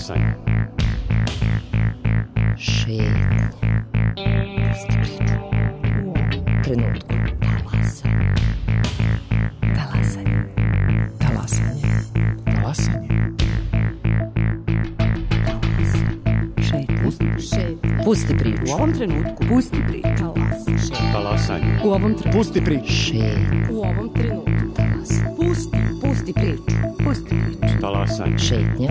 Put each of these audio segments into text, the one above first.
Talasanje. Šetnja. Pusti priču. U ovom trenutku. Talasanje. Talasanje. Talasanje. Talasanje. Pusti priču. U ovom trenutku. Pusti priču. Talasanje. U ovom trenutku. Pusti priču. Šetnja. U ovom trenutku. Pusti priču. Pusti priču. Talasanje. Šetnja.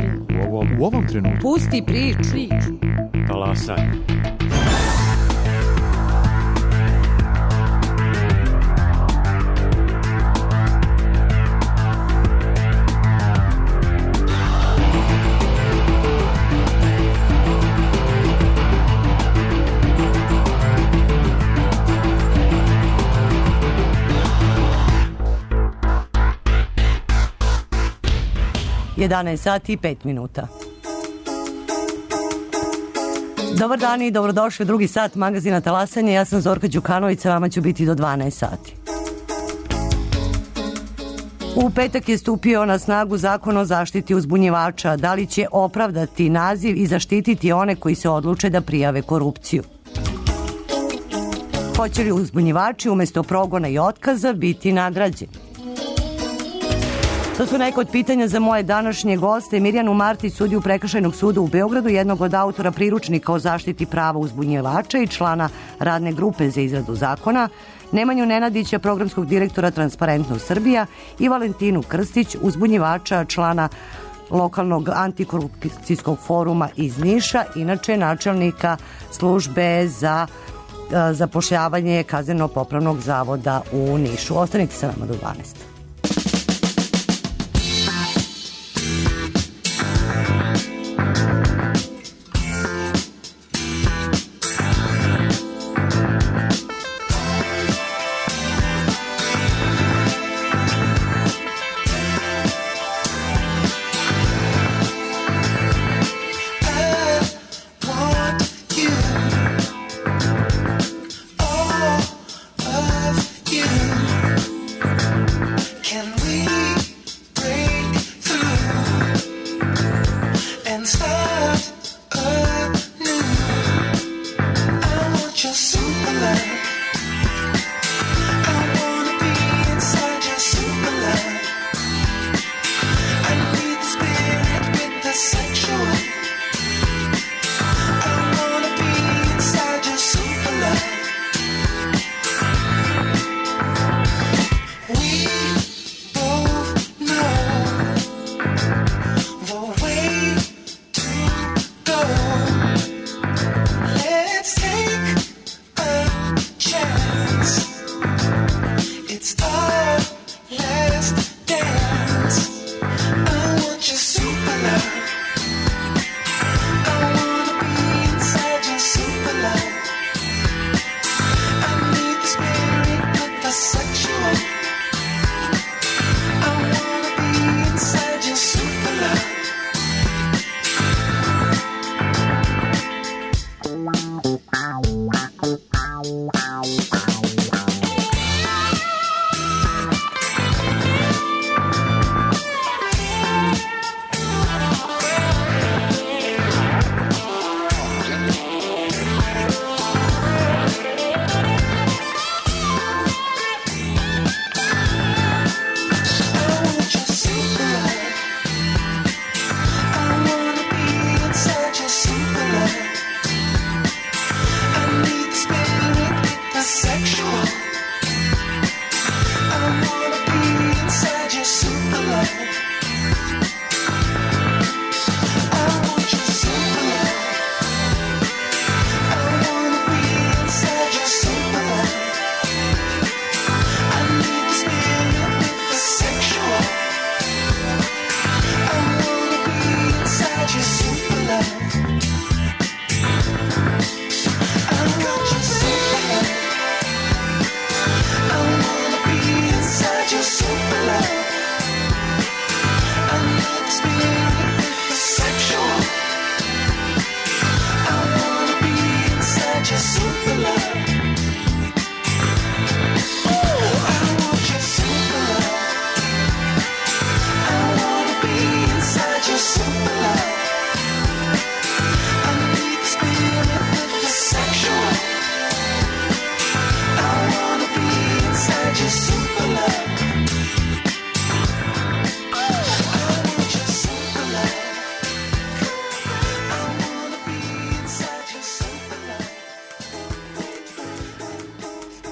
U ovom trenutku. Pusti priču. Talasanje. Sati i 5 minuta. Dobar dan i dobrodošli u drugi sat magazina Talasanje. Ja sam Zorka Đukanović, sa vama ću biti do 12 sati. U petak je stupio na snagu Zakon o zaštiti uzbunjivača. Da li će opravdati naziv i zaštititi one koji se odluče da prijave korupciju? Hoće li uzbunjivači umesto progona i otkaza biti nagrađeni? To su neka od pitanja za moje današnje goste. Mirjanu Martić, sudiju Prekršajnog suda u Beogradu, jednog od autora priručnika o zaštiti prava uzbunjivača i člana radne grupe za izradu zakona, Nemanju Nenadića, programskog direktora Transparentnost Srbija i Valentinu Krstić, uzbunjivača, člana lokalnog antikorupcijskog foruma iz Niša, inače načelnika službe za zapošljavanje Kazneno-popravnog zavoda u Nišu. Ostanite sa nama do 12.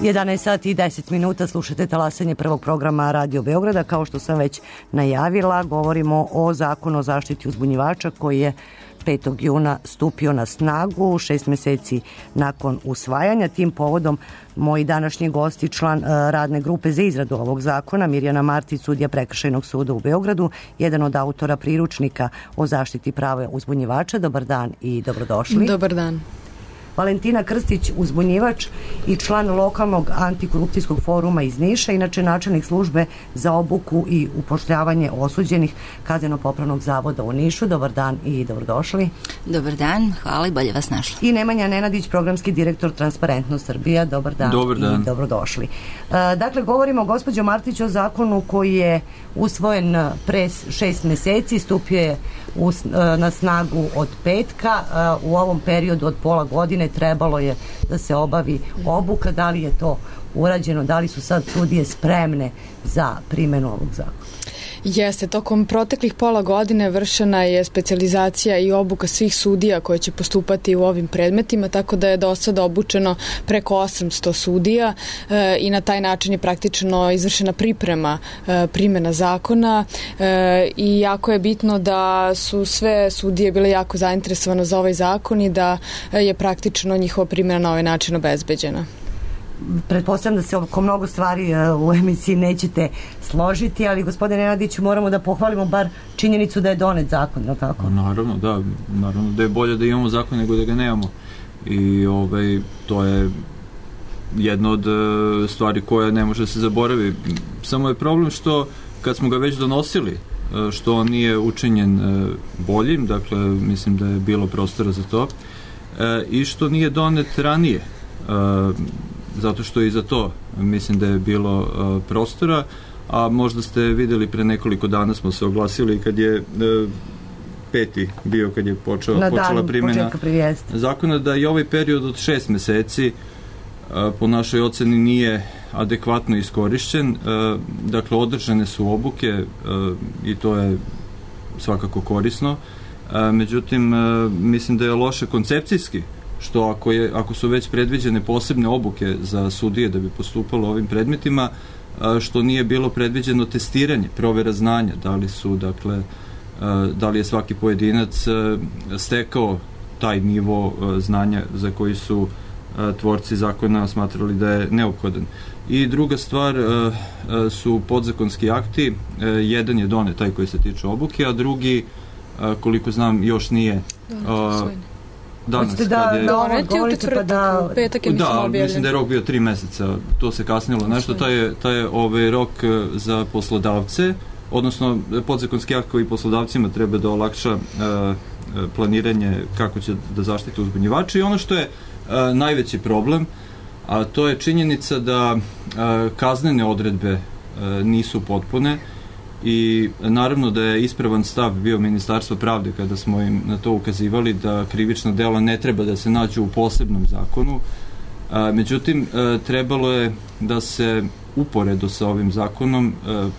11 sati i 10 minuta, slušate talasanje prvog programa Radio Beograda. Kao što sam već najavila, govorimo o zakonu o zaštiti uzbunjivača koji je 5. juna stupio na snagu, 6 meseci nakon usvajanja. Tim povodom moji današnji gosti, član radne grupe za izradu ovog zakona, Mirjana Martić, sudija Prekršajnog suda u Beogradu, jedan od autora priručnika o zaštiti prava uzbunjivača. Dobar dan i dobrodošli. Dobar dan. Valentina Krstić, uzbunjivač i član lokalnog antikorupcijskog foruma iz Niša, inače načelnik službe za obuku i upošljavanje osuđenih Kazneno-popravnog zavoda u Nišu. Dobar dan i dobrodošli. Dobar dan, hvala i bolje vas našla. I Nemanja Nenadić, programski direktor Transparentnost Srbija. Dobar dan, i dobrodošli. Dakle, govorimo, gospođo Martić, o zakonu koji je usvojen pre 6 meseci, stupio je na snagu od petka. U ovom periodu od pola godine trebalo je da se obavi obuka. Da li je to urađeno? Da li su sad sudije spremne za primjenu ovog zakona? Jeste, tokom proteklih pola godine vršena je specijalizacija i obuka svih sudija koje će postupati u ovim predmetima, tako da je do sada obučeno preko 800 sudija i na taj način je praktično izvršena priprema primjena zakona i jako je bitno da su sve sudije bile jako zainteresovane za ovaj zakon i da je praktično njihova primjena na ovaj način obezbeđena. Pretpostavljam da se oko mnogo stvari u emisiji nećete složiti, ali gospodine Nenadiću, moramo da pohvalimo bar činjenicu da je donet zakon, je li tako? Naravno da je bolje da imamo zakon nego da ga nemamo. I to je jedna od stvari koja ne može se zaboravi. Samo je problem što kad smo ga već donosili, što on nije učinjen boljim, dakle mislim da je bilo prostora za to, i što nije donet ranije, zato što i za to mislim da je bilo prostora, a možda ste videli pre nekoliko dana smo se oglasili kad je peti bio, kad je počela primjena zakona, da i ovaj period od 6 meseci po našoj oceni nije adekvatno iskorišćen. Dakle, održane su obuke i to je svakako korisno. Međutim, mislim da je loše koncepcijski, što ako su već predviđene posebne obuke za sudije da bi postupalo ovim predmetima, što nije bilo predviđeno testiranje, provera znanja, da li je svaki pojedinac stekao taj nivo znanja za koji su tvorci zakona smatrali da je neophodan. I druga stvar su podzakonski akti, jedan je donet, taj koji se tiče obuke, a drugi, koliko znam, još nije danas. Mislim da je rok bio 3 meseca, to se kasnilo nešto, taj je rok za poslodavce, odnosno podzakonski akt koji poslodavcima treba da olakša planiranje kako će da zaštite uzbunjivače. I ono što je najveći problem, a to je činjenica da kaznene odredbe nisu potpune. I naravno da je ispravan stav bio Ministarstva pravde kada smo im na to ukazivali da krivična dela ne treba da se nađu u posebnom zakonu. Međutim, trebalo je da se uporedo sa ovim zakonom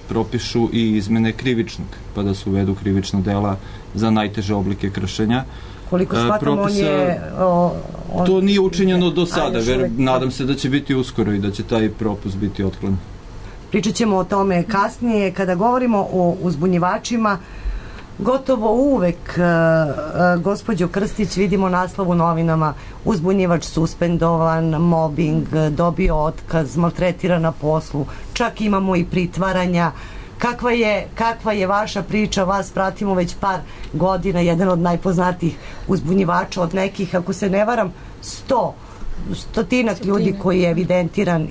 propišu i izmene krivičnog, pa da se uvedu krivična dela za najteže oblike kršenja. Koliko shvatam, to nije učinjeno do sada, nadam se da će biti uskoro i da će taj propust biti otklon. Pričat ćemo o tome kasnije. Kada govorimo o uzbunjivačima, gotovo uvek, gospođo Krstić, vidimo naslov u novinama: uzbunjivač suspendovan, mobbing, dobio otkaz, maltretira na poslu, čak imamo i pritvaranja. Kakva je vaša priča? Vas pratimo već par godina, jedan od najpoznatijih uzbunjivača, od nekih, ako se ne varam, 100 ljudi koji je evidentiran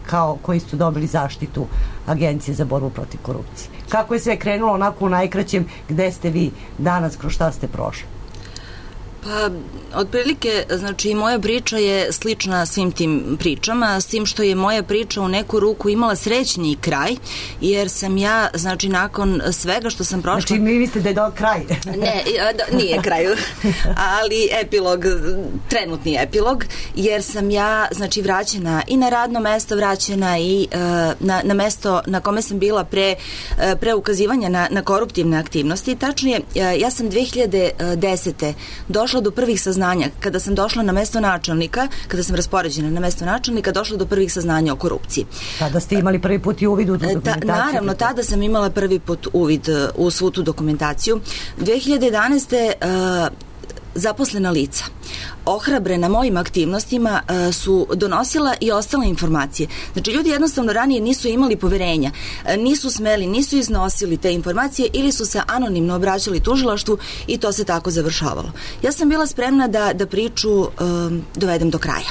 kao koji su dobili zaštitu Agencije za borbu protiv korupcije. Kako je sve krenulo onako u najkraćem, gde ste vi danas, kroz šta ste prošli? Pa, otprilike, znači, moja priča je slična svim tim pričama, s tim što je moja priča u neku ruku imala srećniji kraj, jer sam ja, znači, nakon svega što sam prošla... Znači, mi mislite da je kraj? Ne, nije kraj, ali epilog, trenutni epilog, jer sam ja, znači, vraćena i na radno mesto, vraćena i na mesto na kome sam bila pre ukazivanja na koruptivne aktivnosti. Tačnije, ja sam 2010. došla došla do prvih saznanja. Kada sam došla na mesto načelnika, kada sam raspoređena na mesto načelnika, došla do prvih saznanja o korupciji. Tada ste imali prvi put i uvid u dokumentaciju? Naravno, tada sam imala prvi put uvid u svu tu dokumentaciju. 2011. Zaposlena lica ohrabrena mojim aktivnostima su donosila i ostale informacije. Znači, ljudi jednostavno ranije nisu imali poverenja, nisu smeli, nisu iznosili te informacije ili su se anonimno obraćali tužilaštvu i to se tako završavalo. Ja sam bila spremna da priču dovedem do kraja.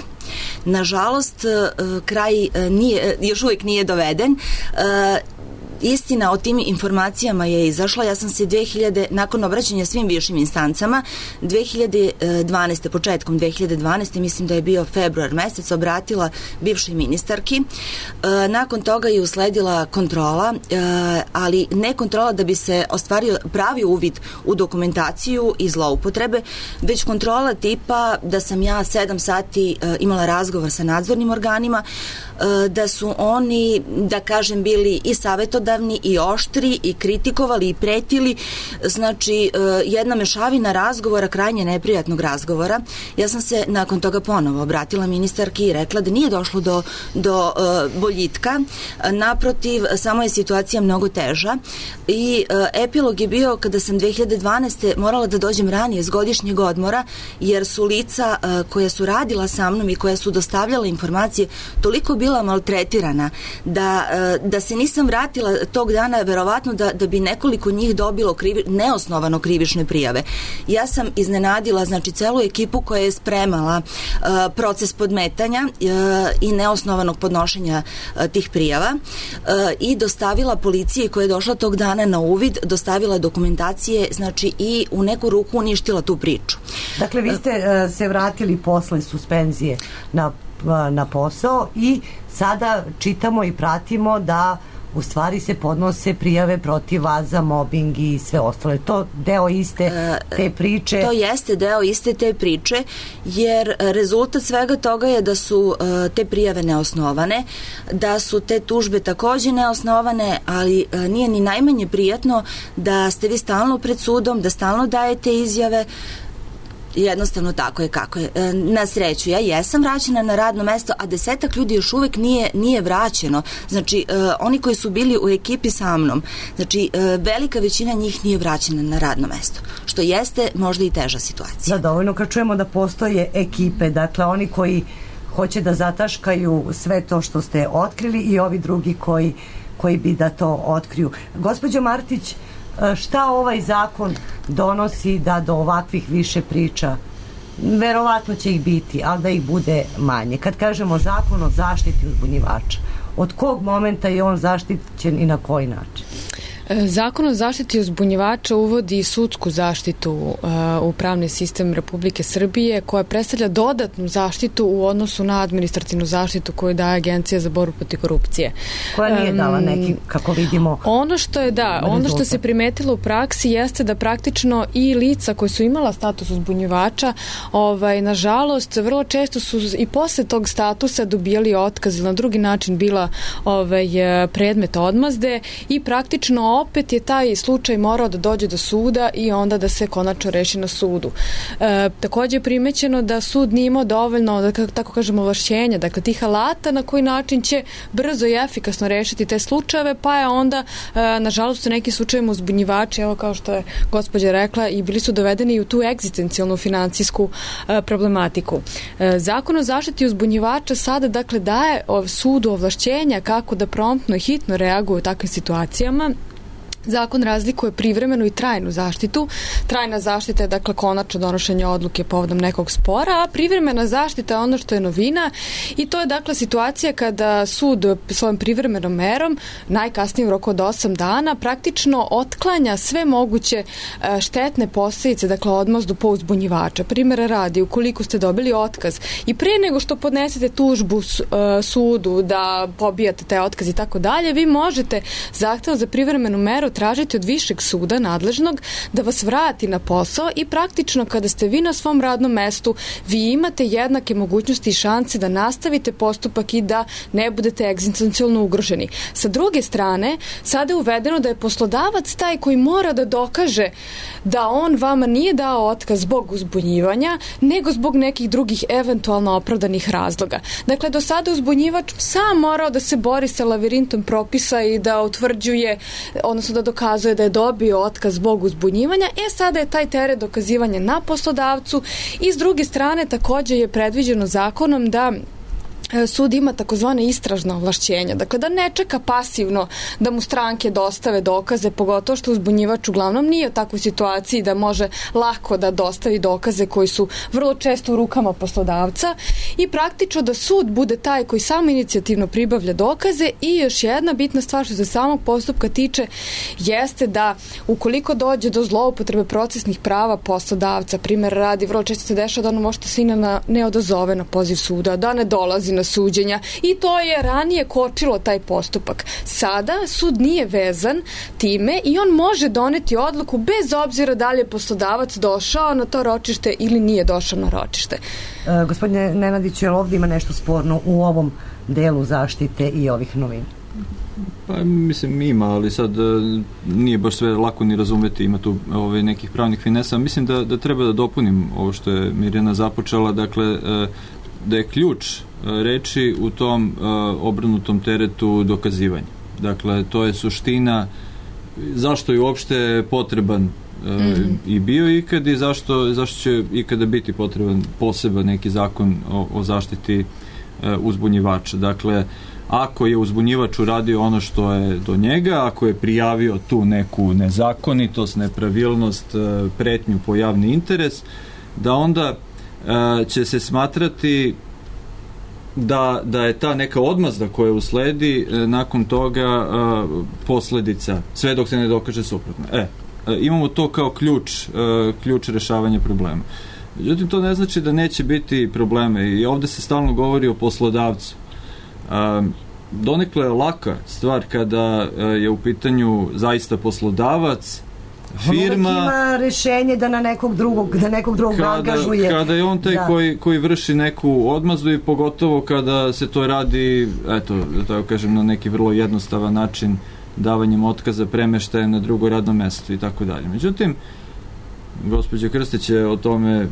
Nažalost, kraj još uvijek nije doveden. Istina o tim informacijama je izašla. Ja sam se nakon obraćanja svim višim instancama 2012. početkom 2012. mislim da je bio februar mesec, obratila bivšoj ministarki. Nakon toga je usledila kontrola, ali ne kontrola da bi se ostvario pravi uvid u dokumentaciju i zloupotrebe, već kontrola tipa da sam ja 7 sati imala razgovor sa nadzornim organima, da su oni, da kažem, bili i savjetodavni i oštri i kritikovali i pretili. Znači, jedna mešavina razgovora, krajnje neprijatnog razgovora. Ja sam se nakon toga ponovo obratila ministarki i rekla da nije došlo do boljitka. Naprotiv, samo je situacija mnogo teža i epilog je bio kada sam 2012. morala da dođem ranije s godišnjeg odmora, jer su lica koja su radila sa mnom i koja su dostavljala informacije toliko bila maltretirana da se nisam vratila tog dana, verovatno da bi nekoliko njih dobilo neosnovano krivične prijave. Ja sam iznenadila, znači, celu ekipu koja je spremala proces podmetanja i neosnovanog podnošenja tih prijava i dostavila policiji koja je došla tog dana na uvid, dostavila dokumentacije, znači, i u neku ruku uništila tu priču. Dakle, vi ste se vratili posle suspenzije na posao i sada čitamo i pratimo da u stvari se podnose prijave protiv vas za mobing i sve ostale. To deo iste te priče? To jeste deo iste te priče, jer rezultat svega toga je da su te prijave neosnovane, da su te tužbe takođe neosnovane, ali nije ni najmanje prijatno da ste vi stalno pred sudom, da stalno dajete izjave. Jednostavno tako je kako je. Na sreću, ja jesam vraćena na radno mesto, a 10 ljudi još uvek nije vraćeno. Znači, oni koji su bili u ekipi sa mnom, znači, velika većina njih nije vraćena na radno mesto, što jeste možda i teža situacija. Da, dovoljno kad čujemo da postoje ekipe, dakle, oni koji hoće da zataškaju sve to što ste otkrili i ovi drugi koji bi da to otkriju. Gospođo Martić, šta ovaj zakon donosi da do ovakvih više priča, verovatno će ih biti, ali da ih bude manje? Kad kažemo zakon o zaštiti uzbunjivača, od kog momenta je on zaštićen i na koji način? Zakon o zaštiti uzbunjivača uvodi sudsku zaštitu u pravni sistem Republike Srbije, koja predstavlja dodatnu zaštitu u odnosu na administrativnu zaštitu koju daje Agencija za borbu protiv korupcije. Koja nije dala neki, kako vidimo, ono što se primetilo u praksi jeste da praktično i lica koji su imala status uzbunjivača, nažalost, vrlo često su i posle tog statusa dobijali otkaz ili na drugi način bila predmet odmazde i praktično opet je taj slučaj morao da dođe do suda i onda da se konačno reši na sudu. Takođe je primećeno da sud nije imao dovoljno, da tako kažemo, ovlašćenja, dakle tih alata na koji način će brzo i efikasno rešiti te slučajeve, pa je onda, nažalost, u nekim slučajevima uzbunjivači, evo kao što je gospođa rekla, i bili su dovedeni i u tu egzistencijalnu finansijsku problematiku. Zakon o zaštiti uzbunjivača sada, dakle, daje sudu ovlašćenja kako da promptno i hitno reaguje u takvim situacijama. Zakon razlikuje privremenu i trajnu zaštitu. Trajna zaštita je, dakle, konačno donošenje odluke povodom nekog spora, a privremena zaštita je ono što je novina i to je, dakle, situacija kada sud svojom privremenom merom, najkasnije u roku od 8 dana, praktično otklanja sve moguće štetne posljedice, dakle, odmazdu po uzbunjivača. Primera radi, ukoliko ste dobili otkaz i pre nego što podnesete tužbu sudu da pobijate taj otkaz i tako dalje, vi možete zahtevom za privremenu meru tražiti od višeg suda nadležnog da vas vrati na posao i praktično kada ste vi na svom radnom mestu, vi imate jednake mogućnosti i šanse da nastavite postupak i da ne budete egzistencijalno ugroženi. Sa druge strane, sada je uvedeno da je poslodavac taj koji mora da dokaže da on vama nije dao otkaz zbog uzbunjivanja, nego zbog nekih drugih eventualno opravdanih razloga. Dakle, do sada uzbunjivač sam morao da se bori sa lavirintom propisa i da utvrđuje, odnosno da dokazuje da je dobio otkaz zbog uzbunjivanja. Sada je taj teret dokazivanja na poslodavcu i s druge strane takođe je predviđeno zakonom da sud ima takozvane istražna ovlašćenja. Dakle, da ne čeka pasivno da mu stranke dostave dokaze, pogotovo što uzbunjivač uglavnom nije u takvoj situaciji da može lako da dostavi dokaze koji su vrlo često u rukama poslodavca i praktično da sud bude taj koji samo inicijativno pribavlja dokaze. I još jedna bitna stvar što se samog postupka tiče jeste da ukoliko dođe do zloupotrebe procesnih prava poslodavca, primjer radi, vrlo često se dešava da ono možete se ne odazove na poziv suda, da ne dolazi na suđenja i to je ranije kočilo taj postupak. Sada sud nije vezan time i on može doneti odluku bez obzira da li je poslodavac došao na to ročište ili nije došao na ročište. Gospodine Nenadić, je li ovdje ima nešto sporno u ovom delu zaštite i ovih novina? Pa mislim ima, ali sad nije baš sve lako ni razumeti, ima tu nekih pravnih finesa. Mislim da treba da dopunim ovo što je Mirjana započela, dakle da je ključ reči u tom obrnutom teretu dokazivanja. Dakle, to je suština zašto je uopšte potreban i bio ikad i zašto će ikada biti potreban poseban neki zakon o zaštiti uzbunjivača. Dakle, ako je uzbunjivač uradio ono što je do njega, ako je prijavio tu neku nezakonitost, nepravilnost, pretnju po javni interes, da onda će se smatrati da je ta neka odmazda koja usledi nakon toga posledica, sve dok se ne dokaže suprotno. Imamo to kao ključ rešavanja problema. Međutim, to ne znači da neće biti probleme i ovde se stalno govori o poslodavcu. Donekle je laka stvar kada je u pitanju zaista poslodavac, firma, on ima rešenje da nekog drugog angažuje. Kada je on taj koji vrši neku odmazdu i pogotovo kada se to radi, eto, da tako kažem, na neki vrlo jednostavan način, davanjem otkaza, premeštajem na drugo radno mesto i tako dalje. Međutim, gospođa Krstić je o tome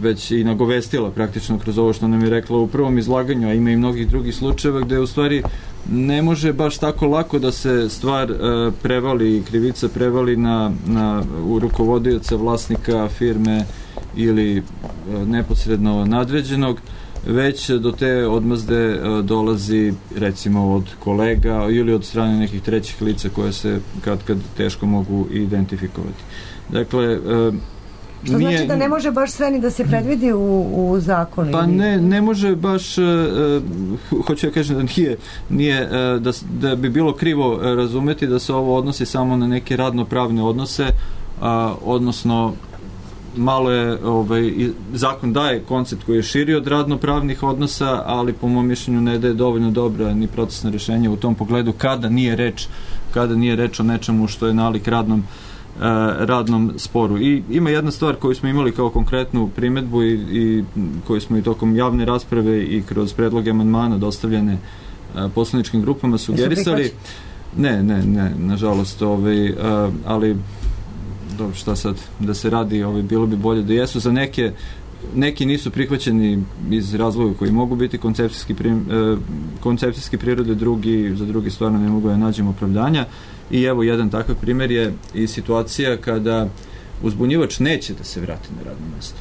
već i nagovestila praktično kroz ovo što nam je rekla u prvom izlaganju, a ima i mnogih drugih slučajeva gde u stvari ne može baš tako lako da se stvar prevali, krivica prevali u rukovodioca, vlasnika firme ili neposredno nadređenog, već do te odmazde dolazi recimo od kolega ili od strane nekih trećih lica koje se kad teško mogu identifikovati. Dakle, što znači da ne može baš sve ni da se predvidi u zakonu? Pa ne može baš, hoću ja kažem da nije da bi bilo krivo razumeti da se ovo odnosi samo na neke radno-pravne odnose, odnosno malo je, zakon daje koncept koji je širi od radno-pravnih odnosa, ali po mom mišljenju ne daje dovoljno dobra ni procesna rešenja u tom pogledu kada nije reč o nečemu što je nalik radnom sporu. I ima jedna stvar koju smo imali kao konkretnu primedbu i koju smo i tokom javne rasprave i kroz predloge amandmana dostavljene poslaničkim grupama sugerisali. Ne, nažalost, ali dobro, šta sad da se radi, bilo bi bolje da jesu. Za neki nisu prihvaćeni iz razloga koji mogu biti koncepcijski prirode, za drugi stvarno ne mogu da nađemo opravdanja. I evo, jedan takav primjer je i situacija kada uzbunjivač neće da se vrati na radno mesto.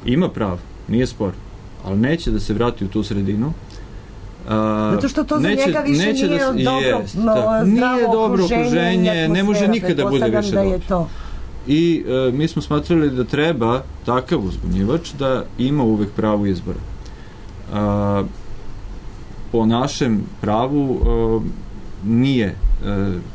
Ima pravo, nije spor, ali neće da se vrati u tu sredinu. Zato što to za njega više nije dobro okruženje, ne može nikada bude više dobro. I mi smo smatrali da treba takav uzbunjivač da ima uvek pravo izbora. Po našem pravu nije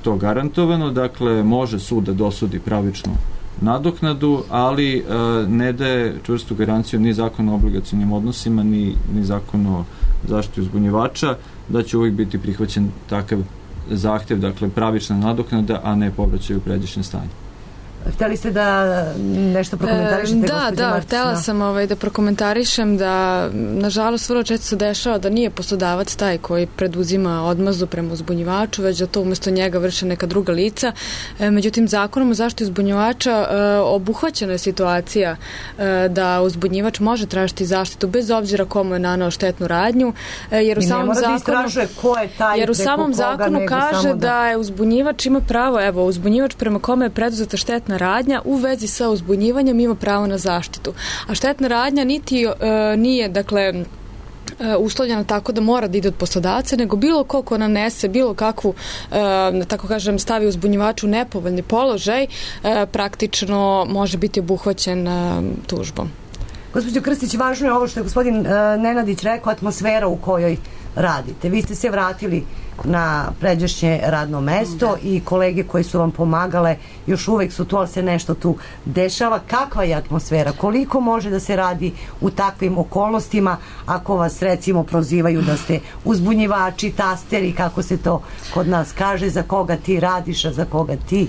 to garantovano, dakle može sud da dosudi pravičnu nadoknadu, ali ne daje čvrstu garanciju ni zakon o obligacionim odnosima, ni zakon o zaštiti uzbunjivača, da će uvijek biti prihvaćen takav zahtev, dakle pravična nadoknada, a ne povraćaj u pređašnje stanje. Hteli ste da nešto prokomentarišete, gospođo Martić? Da, htela sam da prokomentarišem da, nažalost, vrlo često se dešava da nije poslodavac taj koji preduzima odmazdu prema uzbunjivaču, već da to umesto njega vrše neka druga lica. Međutim, zakonom o zaštiti uzbunjivača obuhvaćena je situacija da uzbunjivač može tražiti zaštitu bez obzira komu je naneo štetnu radnju, jer u samom zakonu kaže da je uzbunjivač ima pravo, uzbunjivač prema kome je preduzeta štetna radnja u vezi sa uzbunjivanjem ima pravo na zaštitu. A štetna radnja niti nije, dakle, uslovljena tako da mora da ide od poslodavca, nego bilo ko nanese bilo kakvu, tako kažem, stavi uzbunjivaču u nepovoljni položaj, praktično može biti obuhvaćen tužbom. Gospođo Krstić, važno je ovo što je gospodin Nenadić rekao, atmosfera u kojoj radite. Vi ste se vratili na pređašnje radno mesto i kolege koji su vam pomagale još uvek su tu, ali se nešto tu dešava. Kakva je atmosfera? Koliko može da se radi u takvim okolnostima ako vas recimo prozivaju da ste uzbunjivači, tasteri, kako se to kod nas kaže, za koga ti radiš, a za koga ti?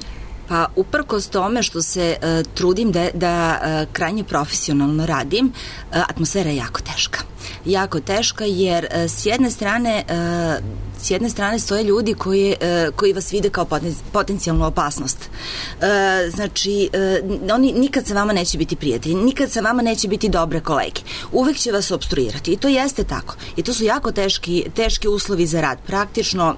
Pa uprkos tome što se trudim da krajnje profesionalno radim, atmosfera je jako teška. Jako teška jer s jedne strane stoje ljudi koji vas vide kao potencijalnu opasnost. Znači, oni nikad sa vama neće biti prijatelji, nikad sa vama neće biti dobre kolege. Uvek će vas opstruirati i to jeste tako. I to su jako teški uslovi za rad. Praktično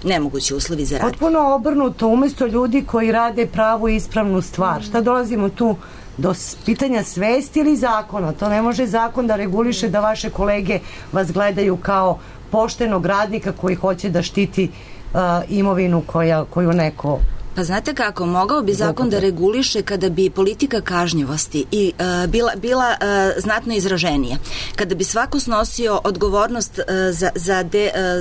nemogući uslovi za rad. Potpuno obrnuto, umesto ljudi koji rade pravu i ispravnu stvar. Šta dolazimo tu do pitanja svesti ili zakona? To ne može zakon da reguliše da vaše kolege vas gledaju kao poštenog radnika koji hoće da štiti imovinu koju neko... Pa znate kako, mogao bi zakon da reguliše kada bi politika kažnjivosti i bila znatno izraženija. Kada bi svako snosio odgovornost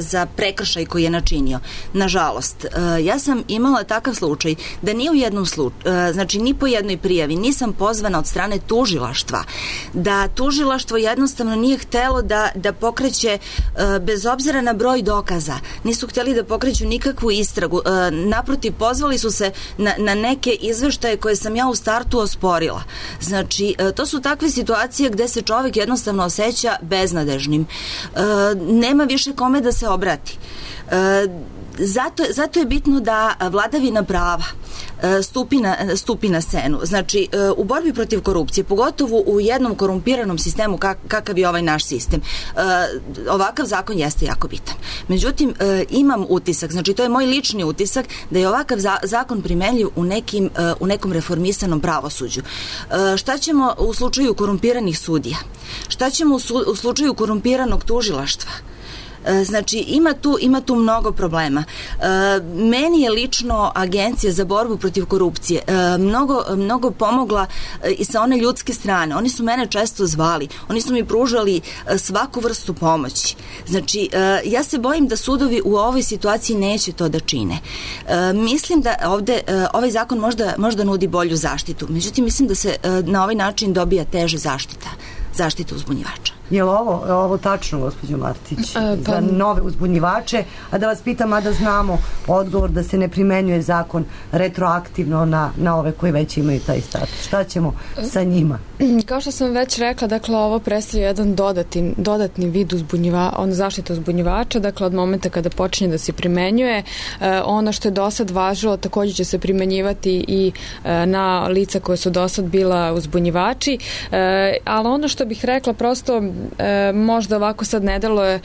za prekršaj koji je načinio. Nažalost, ja sam imala takav slučaj da ni u jednom slučaju, znači ni po jednoj prijavi nisam pozvana od strane tužilaštva, da tužilaštvo jednostavno nije htelo da pokreće, bez obzira na broj dokaza, nisu htjeli da pokreću nikakvu istragu. Naprotiv, pozvali su se na neke izveštaje koje sam ja u startu osporila. Znači, to su takve situacije gde se čovjek jednostavno osjeća beznadežnim. Nema više kome da se obrati. Zato je bitno da vladavina prava stupi na scenu. Znači, u borbi protiv korupcije, pogotovo u jednom korumpiranom sistemu kakav je ovaj naš sistem, ovakav zakon jeste jako bitan. Međutim, imam utisak, znači to je moj lični utisak, da je ovakav zakon primenljiv u nekom reformisanom pravosuđu. Šta ćemo u slučaju korumpiranih sudija? Šta ćemo u slučaju korumpiranog tužilaštva? Znači, ima tu mnogo meni je lično Agencija za borbu protiv korupcije mnogo pomogla i sa one ljudske strane. Oni su mene često zvali, oni su mi pružali svaku vrstu pomoći. Znači, ja se bojim da sudovi u ovoj situaciji neće to da čine. Mislim da ovde ovaj zakon možda nudi bolju zaštitu, međutim mislim da se na ovaj način dobija teže zaštita uzbunjivača. Je li ovo tačno, gospođo Martić, za nove uzbunjivače? A da vas pitam, a da znamo odgovor da se ne primenjuje zakon retroaktivno na ove koji već imaju taj status. Šta ćemo sa njima? Kao što sam već rekla, dakle, ovo predstavlja jedan dodatni vid zaštite uzbunjivača, dakle, od momenta kada počinje da se primenjuje. Ono što je do sad važilo također će se primenjivati i na lica koje su do sad bila uzbunjivači, ali ono što bih rekla, prosto možda ovako sad ne deluje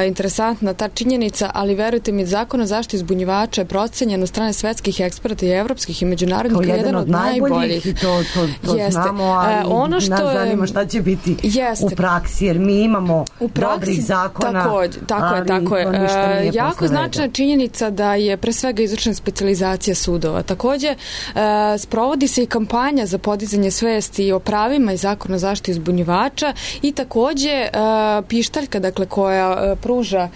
interesantna ta činjenica, ali verujte mi, zakon o zaštiti uzbunjivača je procenjen od strane svetskih eksperata i evropskih i međunarodnih kao jedan od najboljih. I to znamo, ali nas zanima šta će biti u praksi, jer mi imamo dobrih zakona, tako je. Jako značajna činjenica da je pre svega izvršena specijalizacija sudova. Takođe, sprovodi se i kampanja za podizanje svesti o pravima i zakonu o zaštiti uzbunjivača i takođe takođe pištaljka, dakle, koja pruža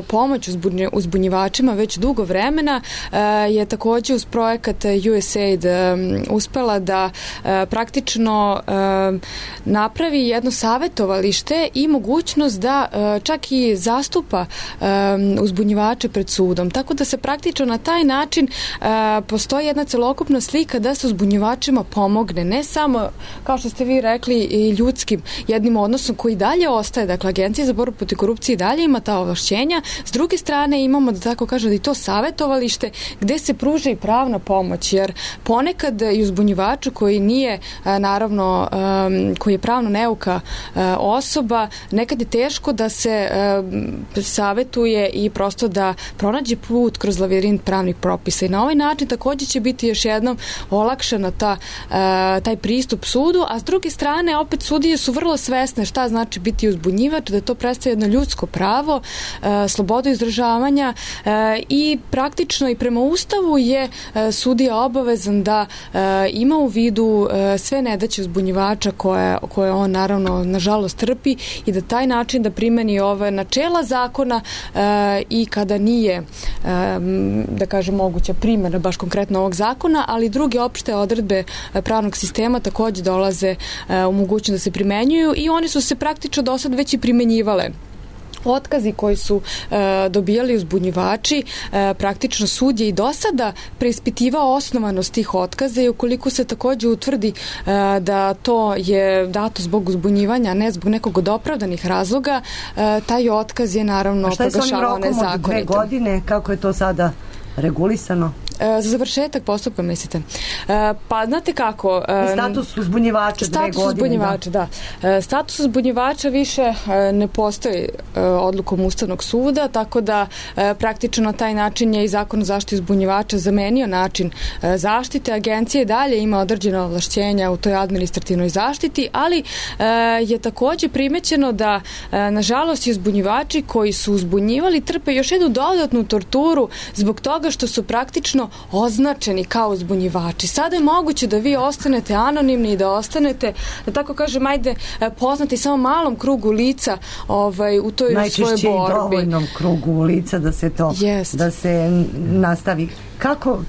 pomoć uzbunjivačima već dugo vremena, je takođe uz projekat USAID uspela da praktično napravi jedno savetovalište i mogućnost da čak i zastupa uzbunjivače pred sudom. Tako da se praktično na taj način postoji jedna celokupna slika da se uzbunjivačima pomogne, ne samo, kao što ste vi rekli, i ljudskim jednim odnosom koji dalje ostaje, dakle, Agencija za borbu protiv korupcije i dalje ima ta ovlašćenja. S druge strane imamo, da tako kažem, i to savetovalište gde se pruža i pravna pomoć, jer ponekad i uzbunjivaču koji nije, naravno, koji je pravno neuka osoba, nekad je teško da se savetuje i prosto da pronađe put kroz lavirint pravnih propisa. I na ovaj način takođe će biti još jednom olakšana taj pristup sudu, a s druge strane opet sudije su vrlo svesne šta znači biti uzbunjivač, da to predstavlja jedno ljudsko pravo, slobodu izražavanja i praktično i prema Ustavu je sudija obavezan da ima u vidu sve nedaće uzbunjivača koje on naravno nažalost trpi i da taj način da primeni ove načela zakona i kada nije, da kažem, moguća primjena baš konkretno ovog zakona, ali druge opšte odredbe pravnog sistema takođe dolaze u mogućnost da se primenjuju i one su se praktično do sad već i primenjivale. Otkazi koji su dobijali uzbunjivači, praktično sud je i do sada preispitivao osnovanost tih otkaza i ukoliko se takođe utvrdi da to je dato zbog uzbunjivanja, a ne zbog nekog od opravdanih razloga, taj otkaz je naravno proglašavao nezakonitim. A šta je s onim rokom od 2 godine? Kako je to sada regulisano? Za završetak postupka, mislite? Pa, znate kako... Status uzbunjivača 2 godine. Status uzbunjivača, da. Status uzbunjivača više ne postoji odlukom Ustavnog suda, tako da praktično na taj način je i Zakon o zaštiti uzbunjivača zamenio način zaštite. Agencija dalje ima određena ovlašćenja u toj administrativnoj zaštiti, ali je takođe primećeno da, nažalost, uzbunjivači koji su uzbunjivali trpe još jednu dodatnu torturu zbog toga što su praktično označeni kao uzbunjivači. Sada je moguće da vi ostanete anonimni i da ostanete, da tako kažem, ajde, poznati samo malom krugu lica u toj svojoj borbi. Najčešće i dovoljnom krugu lica da se to, da se nastavi.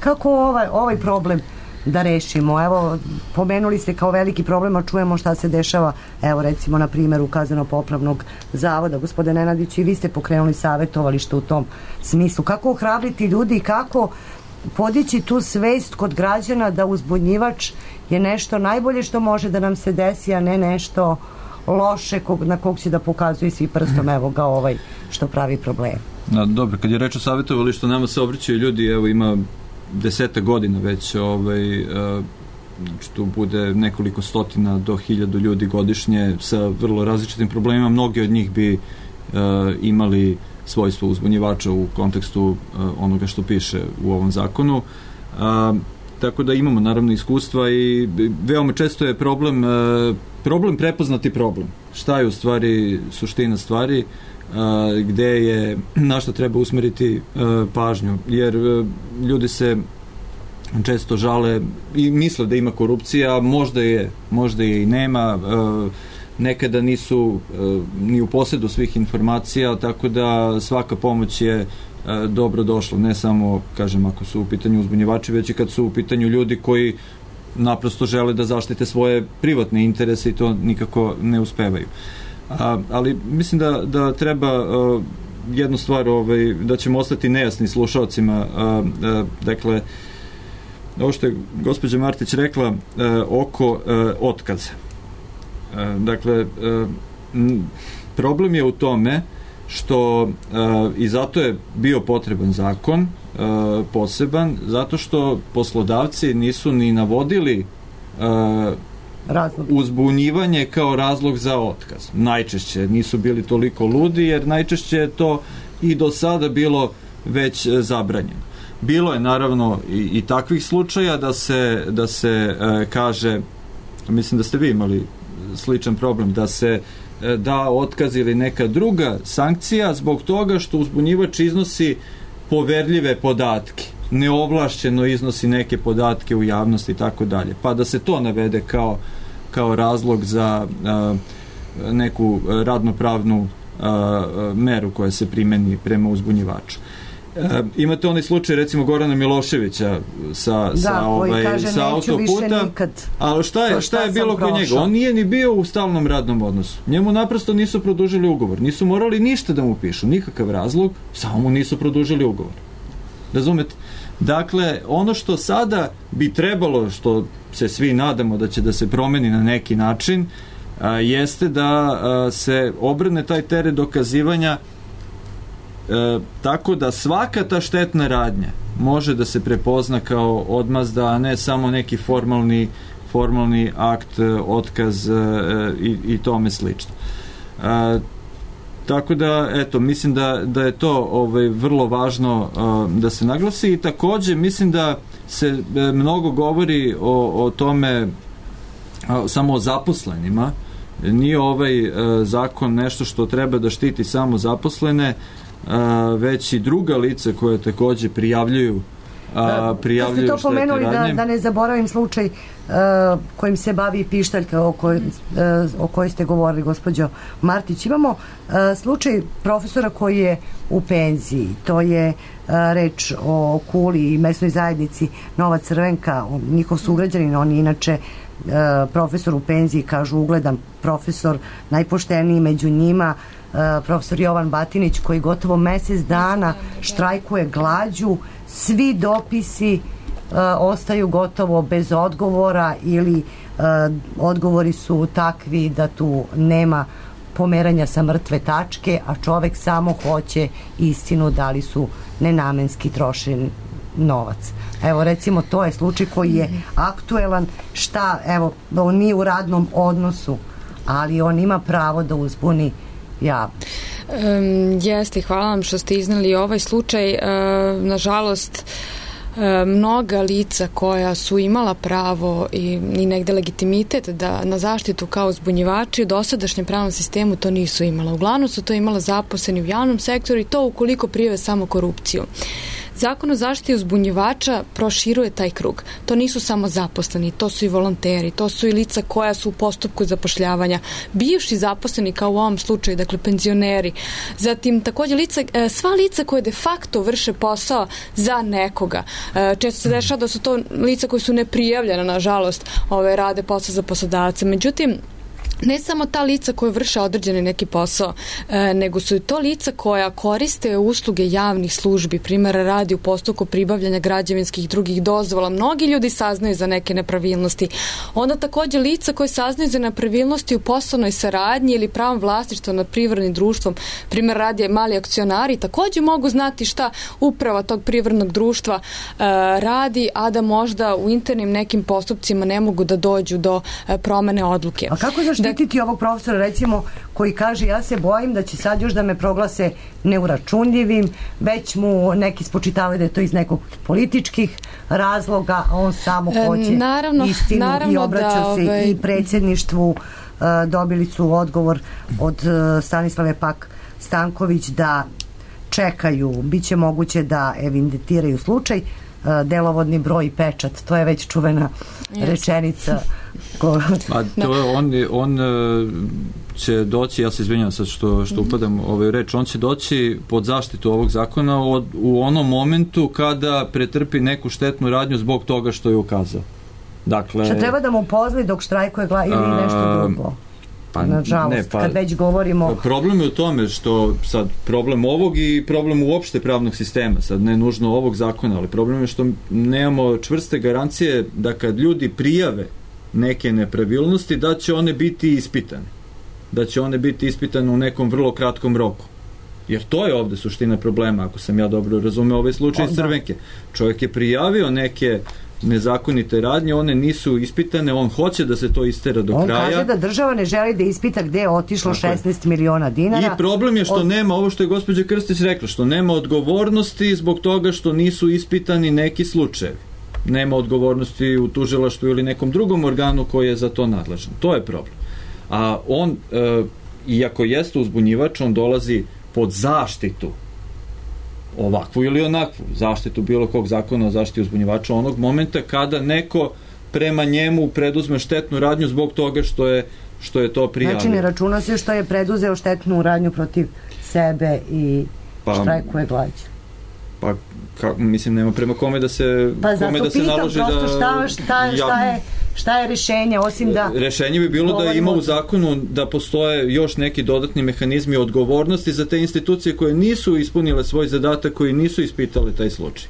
Kako ovaj problem da rešimo? Evo, pomenuli ste kao veliki problem, a čujemo šta se dešava, evo recimo na primjeru Kazneno-popravnog zavoda. Gospodine Nenadić, i vi ste pokrenuli savetovalište u tom smislu. Kako ohrabriti ljudi i kako podići tu svest kod građana da uzbunjivač je nešto najbolje što može da nam se desi, a ne nešto loše na kog će da pokazuje svi prstom, evo ga što pravi problem. Dobro, kad je reč o savetovalištu, nama se obraćaju ljudi, evo ima 10 godina već, znači tu bude nekoliko stotina do 1000 ljudi godišnje sa vrlo različitim problemima. Mnogi od njih bi imali svojstvo uzbunjivača u kontekstu onoga što piše u ovom zakonu. Tako da imamo naravno iskustva i veoma često je problem prepoznati problem. Šta je u stvari suština stvari, gde je, na što treba usmeriti pažnju, jer ljudi se često žale i misle da ima korupcija, možda je i nema, nekada nisu ni u posjedu svih informacija, tako da svaka pomoć je dobro došla, ne samo, kažem, ako su u pitanju uzbunjivači, već i kad su u pitanju ljudi koji naprosto žele da zaštite svoje privatne interese i to nikako ne uspevaju. Ali mislim da treba jednu stvar, da ćemo ostati nejasni slušalcima, dakle, ovo što je gospođa Martić rekla oko otkaza. Dakle, problem je u tome što i zato je bio potreban zakon poseban, zato što poslodavci nisu ni navodili uzbunjivanje kao razlog za otkaz. Najčešće nisu bili toliko ludi, jer najčešće je to i do sada bilo već zabranjeno. Bilo je naravno i takvih slučaja da se kaže, mislim da ste vi imali sličan problem, da se da otkaz ili neka druga sankcija zbog toga što uzbunjivač iznosi poverljive podatke, neovlašćeno iznosi neke podatke u javnosti i tako dalje. Pa da se to navede kao razlog neku radnopravnu meru koja se primeni prema uzbunjivaču. Imate onaj slučaj recimo Gorana Miloševića sa autoputa, ali šta je bilo kod njega? On nije ni bio u stalnom radnom odnosu. Njemu naprosto nisu produžili ugovor. Nisu morali ništa da mu pišu, nikakav razlog, samo mu nisu produžili ugovor. Razumete? Dakle, ono što sada bi trebalo, što se svi nadamo da će da se promeni na neki način, jeste da se obrne taj teret dokazivanja tako da svaka ta štetna radnja može da se prepozna kao odmazda, a ne samo neki formalni akt, otkaz i tome slično. Tako da, eto, mislim da je to vrlo važno da se naglasi i takođe mislim da se mnogo govori o tome samo o zaposlenima. Nije ovaj zakon nešto što treba da štiti samo zaposlene, već i druga lica koje takođe prijavljuju ste to pomenuli, da ne zaboravim slučaj kojim se bavi pištaljka o kojoj ste govorili, gospođo Martić. Imamo slučaj profesora koji je u penziji. To je reč o Kuli i mesnoj zajednici Nova Crvenka, njihov sugrađanin. On je inače profesor u penziji, kažu ugledan profesor, najpošteniji među njima, profesor Jovan Batinić, koji gotovo mesec dana štrajkuje glađu. Svi dopisi ostaju gotovo bez odgovora ili odgovori su takvi da tu nema pomeranja sa mrtve tačke, a čovek samo hoće istinu da li su nenamenski trošen novac. Evo, recimo, to je slučaj koji je aktuelan. On nije u radnom odnosu, ali on ima pravo da uzbuni javnost. Jeste, hvala vam što ste iznali ovaj slučaj. Nažalost, mnoga lica koja su imala pravo i negde legitimitet na zaštitu kao uzbunjivači u dosadašnjem pravnom sistemu to nisu imala. Uglavnom su to imala zaposleni u javnom sektoru i to ukoliko prijave samo korupciju. Zakon o zaštiti uzbunjivača proširuje taj krug. To nisu samo zaposleni, to su i volonteri, to su i lica koja su u postupku zapošljavanja, bivši zaposleni kao u ovom slučaju, dakle penzioneri. Zatim takođe sva lica koje de facto vrše posao za nekoga. Često se dešava da su to lica koji su neprijavljena, nažalost, rade posao za poslodavce. Međutim, ne samo ta lica koja vrše određeni neki posao, nego su i to lica koja koriste usluge javnih službi, primjera radi u postupku pribavljanja građevinskih i drugih dozvola. Mnogi ljudi saznaju za neke nepravilnosti. Onda takođe lica koje saznaju za nepravilnosti u poslovnoj saradnji ili pravom vlasništva nad privrednim društvom, primjer radi mali akcionari, takođe mogu znati šta uprava tog privrednog društva radi, a da možda u internim nekim postupcima ne mogu da dođu do promene odluke. A kako zaštititi ovog profesora, recimo, koji kaže ja se bojim da će sad još da me proglase neuračunljivim, već mu neki spočitavaju da je to iz nekog političkih razloga, a on samo hoće istinu i obraća se i predsjedništvu. Dobili su odgovor od Stanislave Pak Stanković da čekaju, bit će moguće da evidentiraju slučaj, delovodni broj i pečat, to je već čuvena rečenica. On će doći, ja se izvinjam sad što upadam reč, on će doći pod zaštitu ovog zakona u onom momentu kada pretrpi neku štetnu radnju zbog toga što je ukazao. Dakle, što treba da mu pozli dok štrajkuje ili nešto drugo? Nažalost, kad već govorimo... Problem je u tome što sad problem ovog i problem uopšte pravnog sistema, sad ne nužno ovog zakona, ali problem je što nemamo čvrste garancije da kad ljudi prijave neke nepravilnosti, da će one biti ispitane. Da će one biti ispitane u nekom vrlo kratkom roku. Jer to je ovde suština problema, ako sam ja dobro razumeo ovaj slučaj iz Crvenke. Čovjek je prijavio neke nezakonite radnje, one nisu ispitane, on hoće da se to istera do kraja. On kaže da država ne želi da ispita gde je otišlo 16 miliona dinara. I problem je što nema, ovo što je gospođa Krstić rekla, što nema odgovornosti zbog toga što nisu ispitani neki slučajevi. Nema odgovornosti u tužilaštvu ili nekom drugom organu koji je za to nadležan. To je problem. A on, iako jeste uzbunjivač, on dolazi pod zaštitu, ovakvu ili onakvu, zaštitu bilo kog zakona o zaštiti uzbunjivača onog momenta kada neko prema njemu preduzme štetnu radnju zbog toga što je što je to prijavio. Znači ne računa se što je preduzeo štetnu radnju protiv sebe i štrajkuje glađu. Pa, mislim, nema prema kome da se kome da se naloži da... Pa zato pitam, šta je rešenje, osim da... Rešenje bi bilo da ima u zakonu da postoje još neki dodatni mehanizmi odgovornosti za te institucije koje nisu ispunile svoj zadatak, koji nisu ispitale taj slučaj.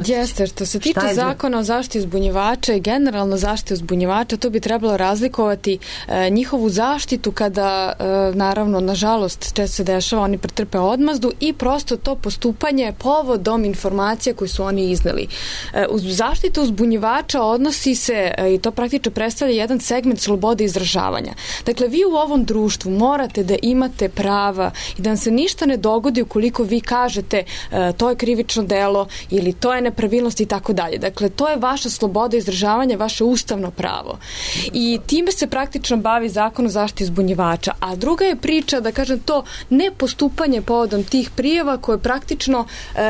Jeste, što se tiče zakona o zaštiti uzbunjivača i generalno zaštiti uzbunjivača, to bi trebalo razlikovati njihovu zaštitu kada, naravno, nažalost, često se dešava, oni pretrpe odmazdu i prosto to postupanje povodom informacija koje su oni izneli. Uz zaštitu uzbunjivača odnosi se, i to praktično predstavlja jedan segment slobode izražavanja. Dakle, vi u ovom društvu morate da imate prava i da vam se ništa ne dogodi ukoliko vi kažete to je krivično delo ili to je nepravilnost i tako dalje. Dakle, to je vaša sloboda izražavanja, vaše ustavno pravo. I time se praktično bavi zakon o zaštiti uzbunjivača. A druga je priča, da kažem, to nepostupanje povodom tih prijava koje praktično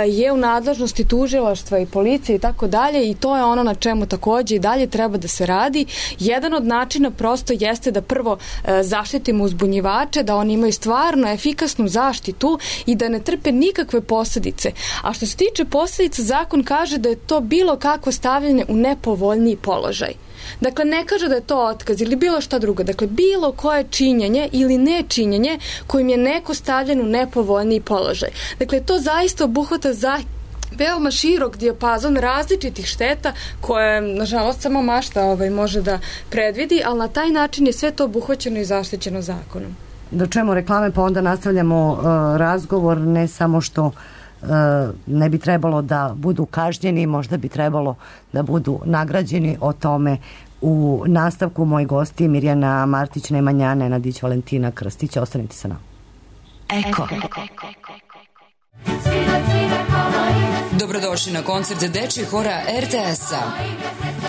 je u nadležnosti tužilaštva i policije i tako dalje, i to je ono na čemu takođe i dalje treba da se radi. Jedan od načina prosto jeste da prvo zaštitimo uzbunjivače, da oni imaju stvarno efikasnu zaštitu i da ne trpe nikakve posljedice. A što se tiče posljedica, zakon kaže da je to bilo kakvo stavljanje u nepovoljniji položaj. Dakle, ne kaže da je to otkaz ili bilo šta drugo. Dakle, bilo koje činjenje ili nečinjenje kojim je neko stavljen u nepovoljniji položaj. Dakle, to zaista obuhvata veoma širok dijapazon različitih šteta koje, nažalost, samo mašta može da predvidi, ali na taj način je sve to obuhvaćeno i zaštićeno zakonom. Da čujemo reklame, pa onda nastavljamo razgovor, ne samo što ne bi trebalo da budu kažnjeni, možda bi trebalo da budu nagrađeni. O tome u nastavku. Moji gosti Mirjana Martić, Nemanja Nenadić, Valentina Krstić. Ostanite sa nama. Eko. Dobrodošli na koncert dečjeg hora RTS-a.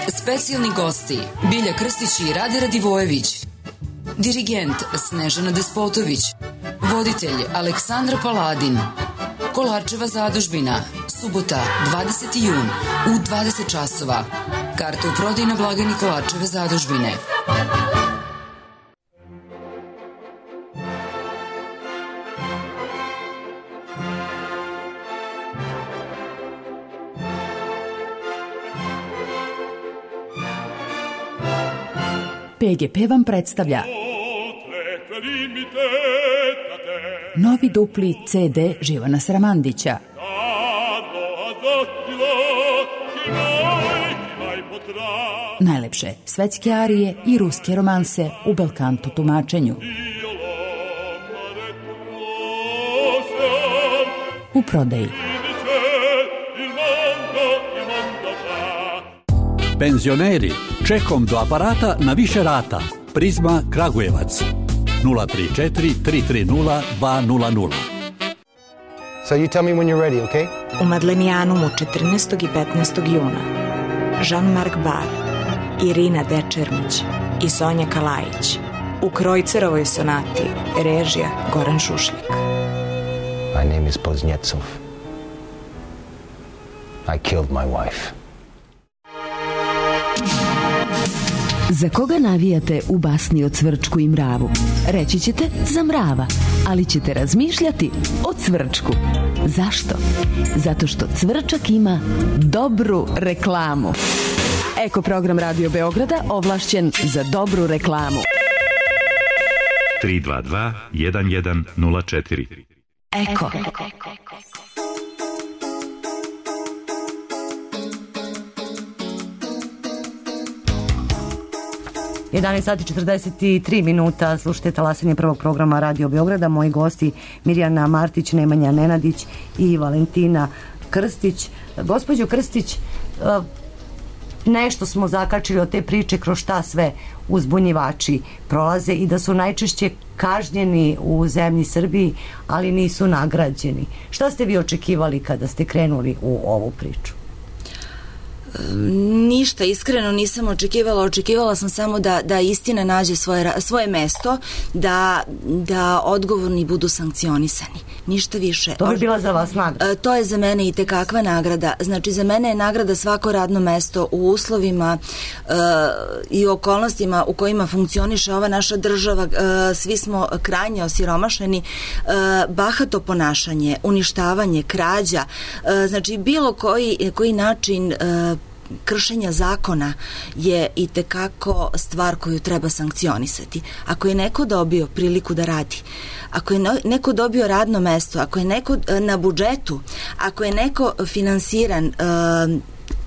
Specijalni gosti Bilja Krstić i Rade Radivojević. Dirigent Snežana Despotović. Voditelj Aleksandra Paladin. Kolarčeva zadužbina, subota, 20. jun, u 20 časova. Karta u prodaji na blagajni Kolarčeve zadužbine. PGP vam predstavlja novi dupli CD Živana Sramandića. Najlepše svetske arije i ruske romanse u belkanto tumačenju. U prodaji. Penzioneri, čekom do aparata na više rata. Prizma Kragujevac. 034 330 200. So you tell me when you're ready, okay? U Madlenijanumu 14. i 15. juna Jean-Marc Bar, Irina Dečermić i Sonja Kalajić. U Krojcerovoj sonati, režija Goran Šušljak. My name is Poznjecov. I killed my wife. Za koga navijate u basni o Cvrčku i mravu? Reći ćete za mrava, ali ćete razmišljati o Cvrčku. Zašto? Zato što Cvrčak ima dobru reklamu. Eko program Radio Beograda ovlašćen za dobru reklamu. 322 1104. Eko. 11 sati 43 minuta, slušajte talasanje prvog programa Radio Beograda. Moji gosti Mirjana Martić, Nemanja Nenadić i Valentina Krstić. Gospođo Krstić, nešto smo zakačili od te priče kroz šta sve uzbunjivači prolaze i da su najčešće kažnjeni u zemlji Srbiji, ali nisu nagrađeni. Šta ste vi očekivali kada ste krenuli u ovu priču? Ništa iskreno nisam očekivala sam samo da istina nađe svoje mesto, da odgovorni budu sankcionisani. Ništa više. To bi bila za vas nagrada? To je za mene i tekakva nagrada. Znači, za mene je nagrada svako radno mesto u uslovima i okolnostima u kojima funkcioniše ova naša država. Svi smo krajnje osiromašeni. Bahato ponašanje, uništavanje, krađa, znači bilo koji način kršenja zakona je i tekako stvar koju treba sankcionisati. Ako je neko dobio priliku da radi, ako je neko dobio radno mesto, ako je neko na budžetu, ako je neko finansiran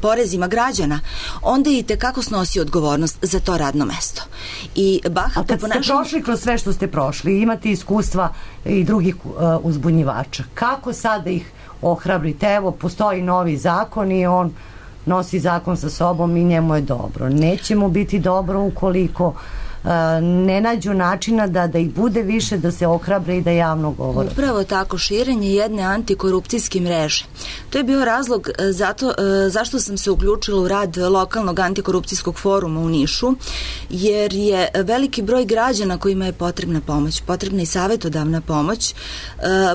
porezima građana, onda i tekako snosi odgovornost za to radno mesto. A kad ste prošli kroz sve što ste prošli, imate iskustva i drugih uzbunjivača, kako sada ih ohrabrite? Evo, postoji novi zakon i on nosi zakon sa sobom i njemu je dobro. Neće mu biti dobro ukoliko ne nađu načina da ih bude više, da se ohrabre i da javno govore. Upravo tako, širenje jedne antikorupcijske mreže. To je bio razlog zašto sam se uključila u rad lokalnog antikorupcijskog foruma u Nišu, jer je veliki broj građana kojima je potrebna pomoć, potrebna i savjetodavna pomoć,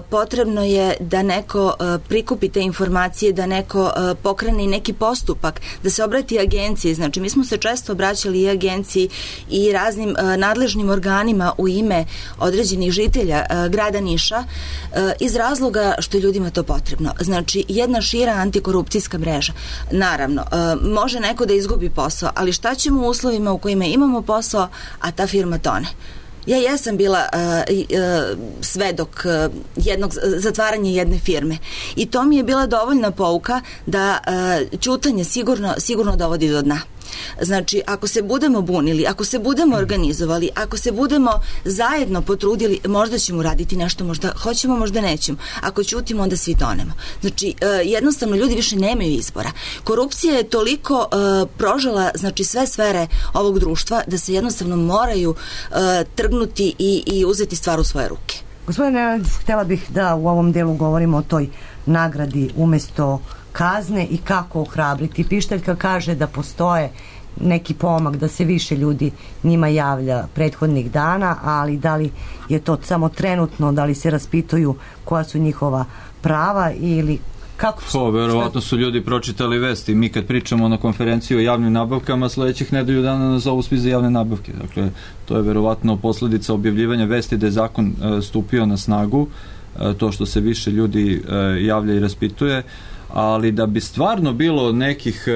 potrebno je da neko prikupi te informacije, da neko pokrene i neki postupak, da se obrati agenciji. Znači, mi smo se često obraćali i agenciji i raznim nadležnim organima u ime određenih žitelja grada Niša iz razloga što je ljudima to potrebno. Znači, jedna šira antikorupcijska mreža. Naravno, može neko da izgubi posao, ali šta ćemo u uslovima u kojima imamo posao, a ta firma tone? Ja jesam bila svedok zatvaranja jedne firme i to mi je bila dovoljna pouka da ćutanje sigurno dovodi do dna. Znači, ako se budemo bunili, ako se budemo organizovali, ako se budemo zajedno potrudili, možda ćemo raditi nešto, možda hoćemo, možda nećemo. Ako ćutimo, onda svi tonemo. Znači, jednostavno, ljudi više nemaju izbora. Korupcija je toliko prožela, znači, sve sfere ovog društva da se jednostavno moraju trgnuti i uzeti stvar u svoje ruke. Gospodine, htjela bih da u ovom delu govorimo o toj nagradi umesto kazne i kako ohrabriti. Pištaljka kaže da postoje neki pomak, da se više ljudi njima javlja prethodnih dana, ali da li je to samo trenutno, da li se raspituju koja su njihova prava ili kako? Verovatno su ljudi pročitali vesti. Mi kad pričamo na konferenciji o javnim nabavkama, sledećih nedelju dana nas zovu svi za javne nabavke. Dakle, to je verovatno posledica objavljivanja vesti da je zakon stupio na snagu, to što se više ljudi javlja i raspituje, ali da bi stvarno bilo nekih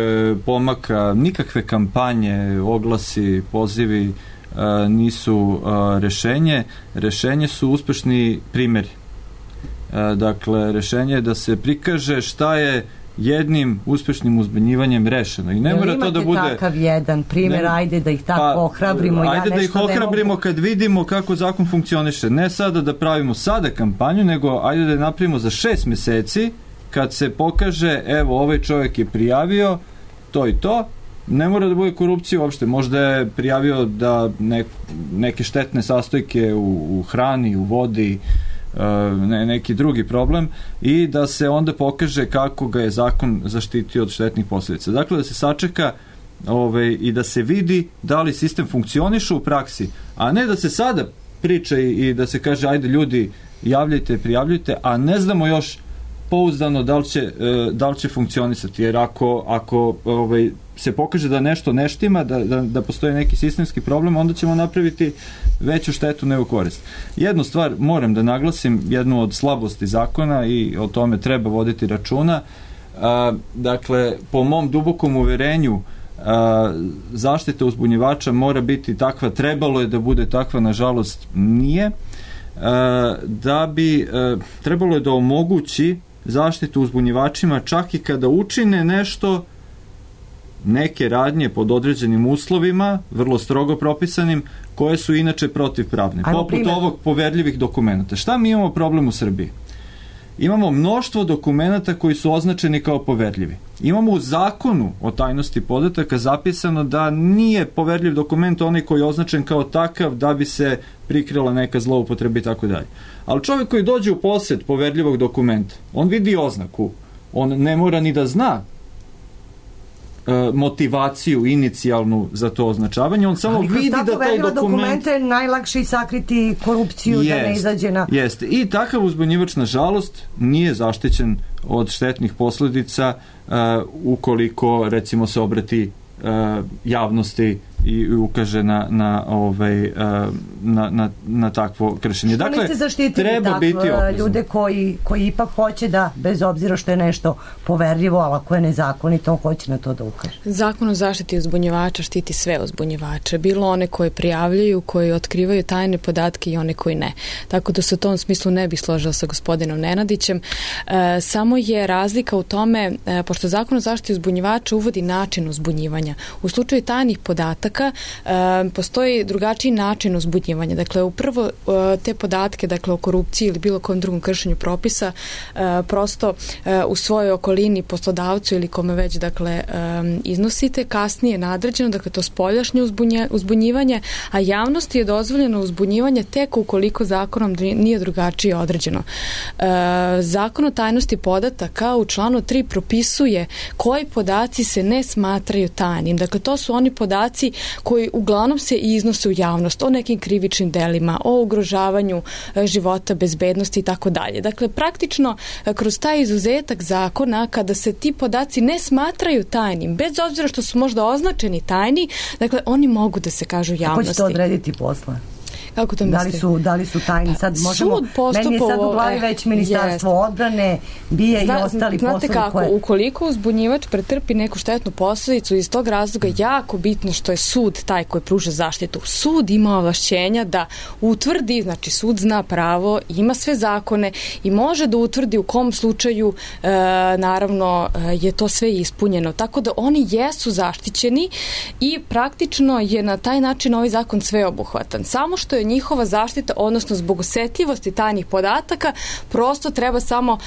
pomaka, nikakve kampanje, oglasi, pozivi nisu rešenje. Rešenje su uspešni primjeri. Dakle, rešenje je da se prikaže šta je jednim uspešnim uzbunjivanjem rešeno. I ne mora to da bude... Imate takav jedan primjer, ajde da ih tako ohrabrimo. Ajde da ih ohrabrimo kad vidimo kako zakon funkcioniše. Ne sada da pravimo sada kampanju, nego ajde da je napravimo za 6 meseci, kad se pokaže, evo, ovaj čovjek je prijavio to i to, ne mora da bude korupcija uopšte, možda je prijavio da neke štetne sastojke u hrani, u vodi, neki drugi problem, i da se onda pokaže kako ga je zakon zaštitio od štetnih posljedica. Dakle, da se sačeka i da se vidi da li sistem funkcioniše u praksi, a ne da se sada priča i da se kaže ajde ljudi javljajte, prijavljujte, a ne znamo još pouzdano da li će funkcionisati, jer ako se pokaže da nešto ne štima, da postoji neki sistemski problem, onda ćemo napraviti veću štetu nego korist. Jednu stvar moram da naglasim, jednu od slabosti zakona, i o tome treba voditi računa. Dakle, po mom dubokom uverenju, zaštita uzbunjivača mora biti takva, trebalo je da bude takva, nažalost nije, da bi trebalo je da omogući zaštitu uzbunjivačima čak i kada učine nešto, neke radnje pod određenim uslovima, vrlo strogo propisanim, koje su inače protivpravne, poput ovog poverljivih dokumenta. Šta mi imamo problem u Srbiji? Imamo mnoštvo dokumenta koji su označeni kao poverljivi. Imamo u zakonu o tajnosti podataka zapisano da nije poverljiv dokument onaj koji je označen kao takav da bi se prikrila neka zloupotreba i tako dalje. Ali čovjek koji dođe u posjed poverljivog dokumenta, on vidi oznaku, on ne mora ni da zna motivaciju inicijalnu za to označavanje, on samo vidi da taj dokument je najlakše i sakriti korupciju da ne izađe na... Jeste. I takav uzbunjivač, nažalost, nije zaštićen od štetnih posledica ukoliko, recimo, se obrati javnosti i ukaže na takvo kršenje. Što niste zaštitili ljude koji ipak hoće da, bez obzira što je nešto poverljivo, ali ako je nezakonito, on hoće na to da ukaže? Zakon o zaštiti uzbunjivača štiti sve uzbunjivače, bilo one koje prijavljaju, koji otkrivaju tajne podatke i one koji ne. Tako da se u tom smislu ne bih složila sa gospodinom Nenadićem. Samo je razlika u tome, pošto Zakon o zaštiti uzbunjivača uvodi način uzbunjivanja. U slučaju tajnih podataka postoji drugačiji način uzbunjivanja. Dakle, uprvo te podatke, dakle, o korupciji ili bilo kom drugom kršenju propisa, prosto u svojoj okolini, poslodavcu ili kome već, dakle, iznosite, kasnije nadređeno, dakle, to spoljašnje uzbunjivanje, a javnosti je dozvoljeno uzbunjivanje tek ukoliko zakonom nije drugačije određeno. Zakon o tajnosti podataka u članu 3 propisuje koji podaci se ne smatraju tajnim. Dakle, to su oni podaci koji uglavnom se iznose u javnost, o nekim krivičnim delima, o ugrožavanju života, bezbednosti i tako dalje. Dakle, praktično, kroz taj izuzetak zakona, kada se ti podaci ne smatraju tajnim, bez obzira što su možda označeni tajni, dakle, oni mogu da se kažu javnosti. Kako će to odrediti posle? Kako to mislite? Da li su tajni? Sad možemo, meni je sad u glavi već Ministarstvo odbrane, BIA i ostali poslovi. Znate kako, ukoliko uzbunjivač pretrpi neku štetnu posledicu, iz tog razloga jako bitno što je sud taj koji pruža zaštitu. Sud ima ovlašćenja da utvrdi, znači sud zna pravo, ima sve zakone i može da utvrdi u kom slučaju naravno je to sve ispunjeno. Tako da oni jesu zaštićeni i praktično je na taj način ovaj zakon sveobuhvatan. Samo što je njihova zaštita, odnosno zbog osetljivosti tajnih podataka, prosto treba samo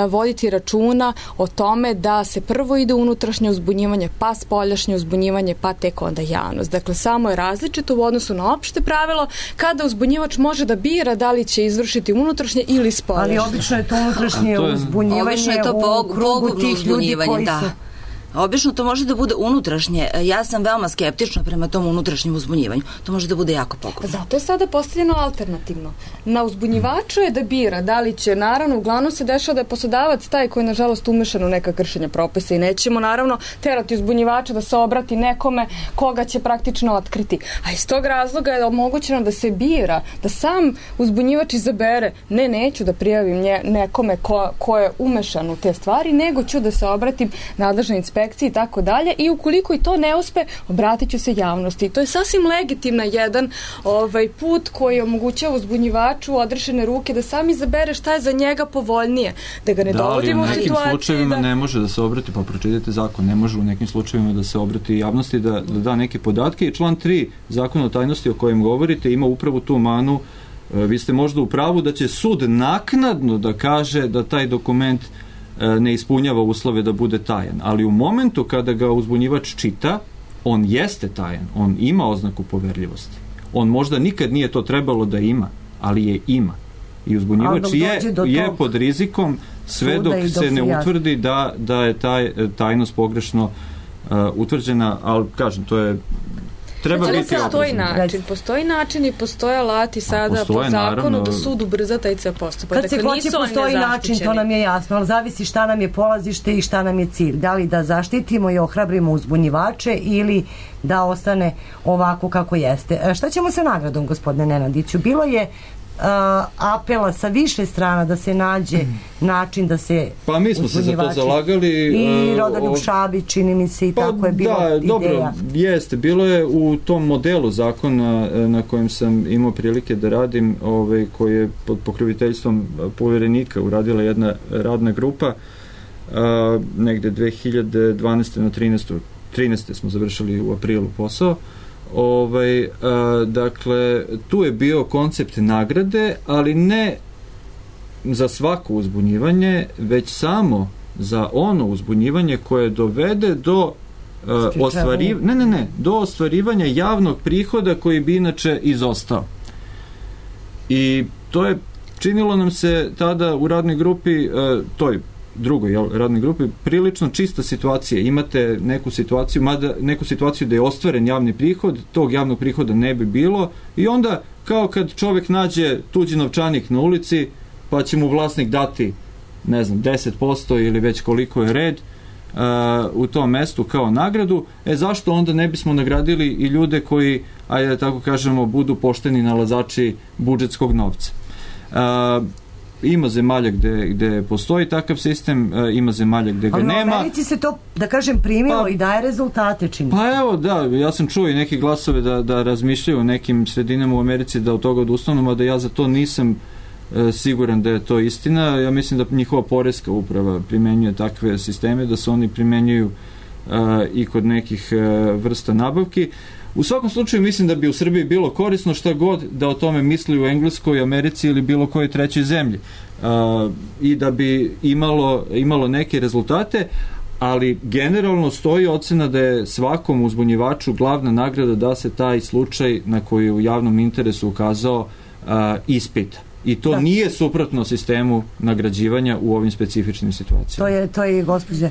voditi računa o tome da se prvo ide unutrašnje uzbunjivanje, pa spoljašnje uzbunjivanje, pa tek onda javnost. Dakle, samo je različito u odnosu na opšte pravilo kada uzbunjivač može da bira da li će izvršiti unutrašnje ili spoljašnje. Ali obično je to unutrašnje uzbunjivanje u krugu tih ljudi koji su... Obično to može da bude unutrašnje. Ja sam veoma skeptična prema tom unutrašnjem uzbunjivanju. To može da bude jako pogubno. Zato je sada postavljeno alternativno. Na uzbunjivaču je da bira da li će, naravno, uglavnom se dešava da je poslodavac taj koji je, nažalost, umešan u neka kršenja propisa i nećemo, naravno, terati uzbunjivača da se obrati nekome koga će praktično otkriti. A iz tog razloga je omogućeno da se bira, da sam uzbunjivač izabere, neću da prijavim nekome ko je umešan u te stvari, nego ću da se obratim nadležnoj inspekciji i tako dalje, i ukoliko i to ne uspe, obratit ću se javnosti. To je sasvim legitimna jedan put koji omogućava uzbunjivaču odrešene ruke da sam izabere šta je za njega povoljnije, da ga ne dovodimo u situaciju. Da, ali u nekim slučajevima ne može da se obrati, pa pročitajte zakon, ne može u nekim slučajevima da se obrati javnosti, da da neke podatke, i član 3 Zakona o tajnosti o kojem govorite ima upravo tu manu. Vi ste možda u pravu da će sud naknadno da kaže da taj dokument ne ispunjava uslove da bude tajan, ali u momentu kada ga uzbunjivač čita, on jeste tajan, on ima oznaku poverljivosti. On možda nikad nije to trebalo da ima, ali je ima. I uzbunjivač je pod rizikom sve dok se ne utvrdi da je tajnost pogrešno utvrđena, ali kažem, to je treba biti postoji način i postoje alati sada po zakonu da sud ubrza taj ceo postupak. Kad se hoće postoji način, to nam je jasno, ali zavisi šta nam je polazište i šta nam je cilj. Da li da zaštitimo i ohrabrimo uzbunjivače ili da ostane ovako kako jeste. Šta ćemo sa nagradom, gospodine Nenadiću? Bilo je apela sa više strana da se nađe način da se pa mi smo se za to zalagali i Rodoljub Šabić, čini mi se, i tako je bilo ideja. Dobro, jeste, bilo je u tom modelu zakona na kojem sam imao prilike da radim, koji je pod pokroviteljstvom poverenika uradila jedna radna grupa, negde 2012. na 13. smo završili u aprilu posao. Dakle, tu je bio koncept nagrade, ali ne za svako uzbunjivanje, već samo za ono uzbunjivanje koje dovede do ostvarivanja javnog prihoda koji bi inače izostao. I to je činilo nam se tada u radnoj grupi, toj drugoj radnoj grupi prilično čista situacija. Imate neku situaciju da je ostvaren javni prihod, tog javnog prihoda ne bi bilo i onda kao kad čovjek nađe tuđi novčanik na ulici pa će mu vlasnik dati 10% ili već koliko je red u tom mestu kao nagradu, zašto onda ne bismo nagradili i ljude koji, ajde da tako kažemo, budu pošteni nalazači budžetskog novca. Ima zemalja gde postoji takav sistem, ima zemalja gde ga nema. Ali u Americi se to, da kažem, primilo i daje rezultate, čini. Pa evo, da, ja sam čuo i neki glasove da razmišljaju o nekim sredinama u Americi da od toga odustanu, a da ja za to nisam siguran da je to istina. Ja mislim da njihova poreska uprava primenjuje takve sisteme, da se oni primenjuju i kod nekih vrsta nabavki. U svakom slučaju mislim da bi u Srbiji bilo korisno šta god da o tome misli u Engleskoj, Americi ili bilo kojoj trećoj zemlji i da bi imalo neke rezultate, ali generalno stoji ocena da je svakom uzbunjivaču glavna nagrada da se taj slučaj na koji je u javnom interesu ukazao ispita. I to nije suprotno sistemu nagrađivanja u ovim specifičnim situacijama. To je gospođa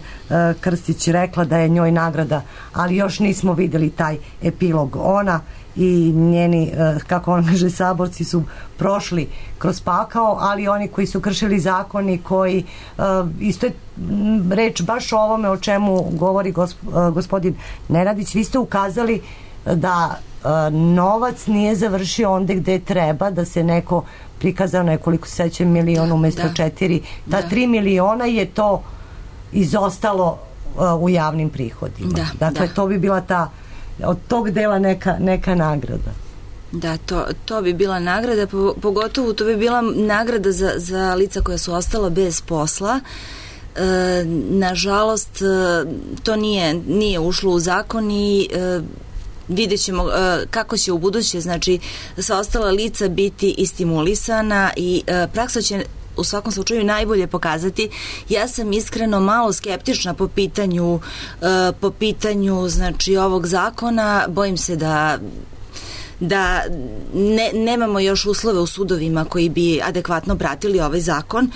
Krstić rekla da je njoj nagrada, ali još nismo videli taj epilog. Ona i njeni, kako on kaže, saborci su prošli kroz pakao, ali oni koji su kršili zakoni, koji isto je reč baš o ovome o čemu govori gospodin Neradić. Vi ste ukazali da novac nije završio onde gde treba, da se neko prikazao nekoliko sećam miliona umjesto 4. Ta 3 miliona je to izostalo u javnim prihodima. Dakle, to bi bila od tog dela neka nagrada. Da, to bi bila nagrada, pogotovo to bi bila nagrada za lica koja su ostala bez posla. Nažalost, to nije ušlo u zakon i vidjet ćemo kako će u buduće, znači, sva ostala lica biti i stimulisana i praksa će u svakom slučaju najbolje pokazati. Ja sam iskreno malo skeptična po pitanju znači ovog zakona. Bojim se da nemamo još uslove u sudovima koji bi adekvatno pratili ovaj zakon.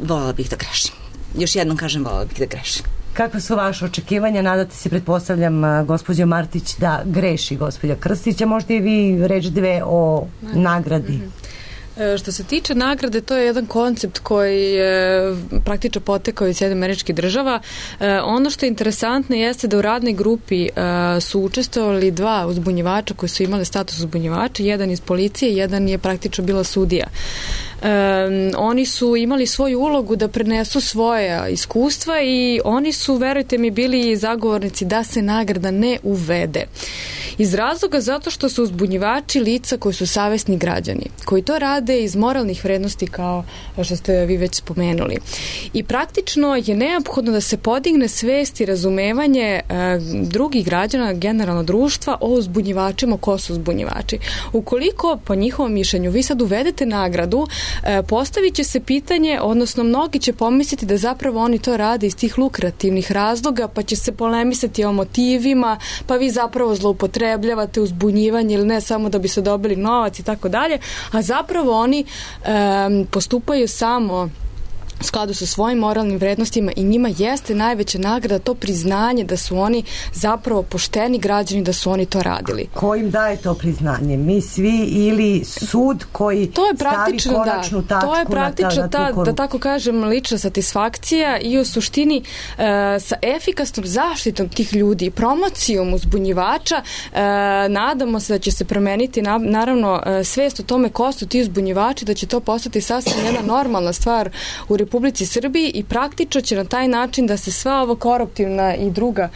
Voljela bih da grešim. Još jednom kažem, voljela bih da grešim. Kakve su vaše očekivanja? Nadate se, pretpostavljam, gospođo Martić, da greši gospođa Krstića. Možda i vi reći dve o nagradi. Što se tiče nagrade, to je jedan koncept koji je praktično potekao iz Sjedinjenih Američkih Država. Ono što je interesantno jeste da u radnoj grupi su učestvovali 2 uzbunjivača koji su imali status uzbunjivača, jedan iz policije, jedan je praktično bila sudija. Oni su imali svoju ulogu da prenesu svoje iskustva i oni su, verujte mi, bili zagovornici da se nagrada ne uvede. Iz razloga zato što su uzbunjivači lica koji su savesni građani, koji to rade iz moralnih vrednosti kao što ste vi već spomenuli. I praktično je neophodno da se podigne svest i razumevanje drugih građana, generalno društva, o uzbunjivačima, ko su uzbunjivači. Ukoliko, po njihovom mišljenju, vi sad uvedete nagradu, postavit će se pitanje, odnosno mnogi će pomisliti da zapravo oni to rade iz tih lukrativnih razloga, pa će se polemisati o motivima, pa vi zapravo zloupotrebljavate uzbunjivanje ili ne samo da bi se dobili novac i tako dalje, a zapravo oni postupaju samo u skladu sa svojim moralnim vrednostima i njima jeste najveća nagrada to priznanje da su oni zapravo pošteni građani, da su oni to radili. Ko im daje to priznanje? Mi svi ili sud koji stavi konačnu tačku to je praktično da tako kažem, lična satisfakcija i u suštini sa efikasnom zaštitom tih ljudi i promocijom uzbunjivača nadamo se da će se promeniti naravno svest o tome ko su ti uzbunjivači, da će to postati sasvim jedna normalna stvar u Republici Srbiji i praktično će na taj način da se sva ovo koruptivna i druga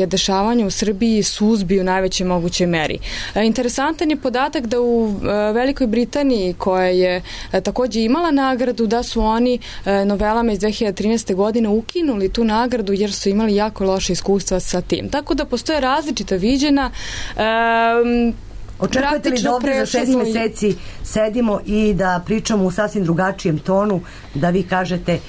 dešavanja u Srbiji suzbiju u najvećoj mogućoj meri. Interesantan je podatak da u Velikoj Britaniji, koja je takođe imala nagradu, da su oni novelama iz 2013. godine ukinuli tu nagradu jer su imali jako loše iskustva sa tim. Tako da postoje različita viđena. Očekujete li da ovdje za 6 meseci sedimo i da pričamo u sasvim drugačijem tonu, da vi kažete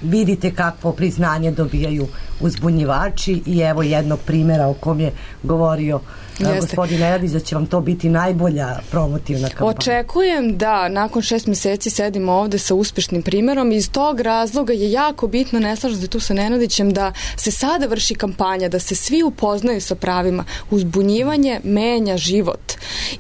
vidite kakvo priznanje dobijaju uzbunjivači i evo jednog primjera o kom je govorio gospodin Nenadić, da će vam to biti najbolja promotivna kampanja. Očekujem da nakon 6 meseci sedimo ovde sa uspešnim primjerom i iz tog razloga je jako bitno, ne slažem se tu sa Nenadićem, da se sada vrši kampanja, da se svi upoznaju sa pravima. Uzbunjivanje menja život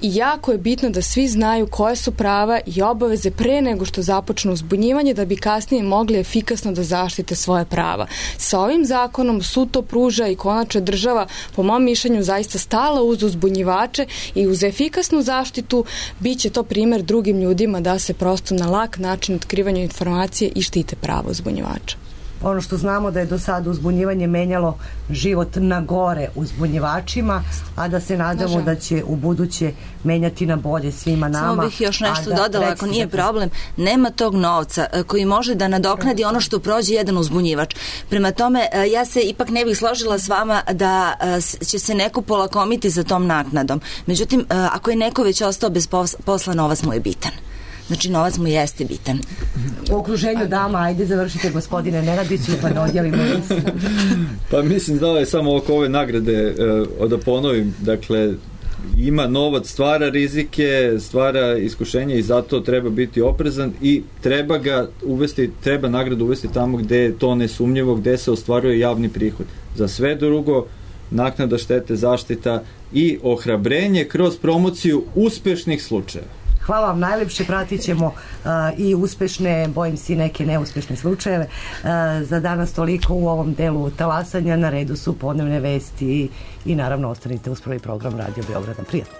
i jako je bitno da svi znaju koje su prava i obaveze pre nego što započnu uzbunjivanje, da bi kasnije mogli efikasno da zaštite svoje prava. Sa ovim zakonom sud to pruža i konačno država, po mom mišljenju, zaista stala uz uzbunjivače i uz efikasnu zaštitu biće to primjer drugim ljudima da se prosto na lak način otkrivanja informacije i štite pravo uzbunjivača. Ono što znamo da je do sada uzbunjivanje menjalo život na gore uzbunjivačima, a da se nadamo da će u buduće menjati na bolje svima nama. Samo bih još nešto dodala, ako nije problem, nema tog novca koji može da nadoknadi ono što prođe jedan uzbunjivač. Prema tome, ja se ipak ne bih složila s vama da će se neko polakomiti za tom naknadom. Međutim, ako je neko već ostao bez posla, novac mu je bitan. Znači, novac mu jeste bitan. U okruženju dama, ajde završite gospodine Nenadiću, pa da odjelimo listu. Pa mislim da je samo oko ove nagrade, da ponovim, dakle, ima novac, stvara rizike, stvara iskušenje i zato treba biti oprezan i treba ga uvesti, treba nagradu uvesti tamo gde je to nesumnjivo, gde se ostvaruje javni prihod. Za sve drugo, naknada štete, zaštita i ohrabrenje kroz promociju uspešnih slučajeva. Hvala vam najlepše, pratit ćemo i uspešne, bojim se i neke neuspešne slučajeve. Za danas toliko u ovom delu talasanja, na redu su podnevne vesti i naravno ostanite uz prvi program Radio Beograda. Prijatno.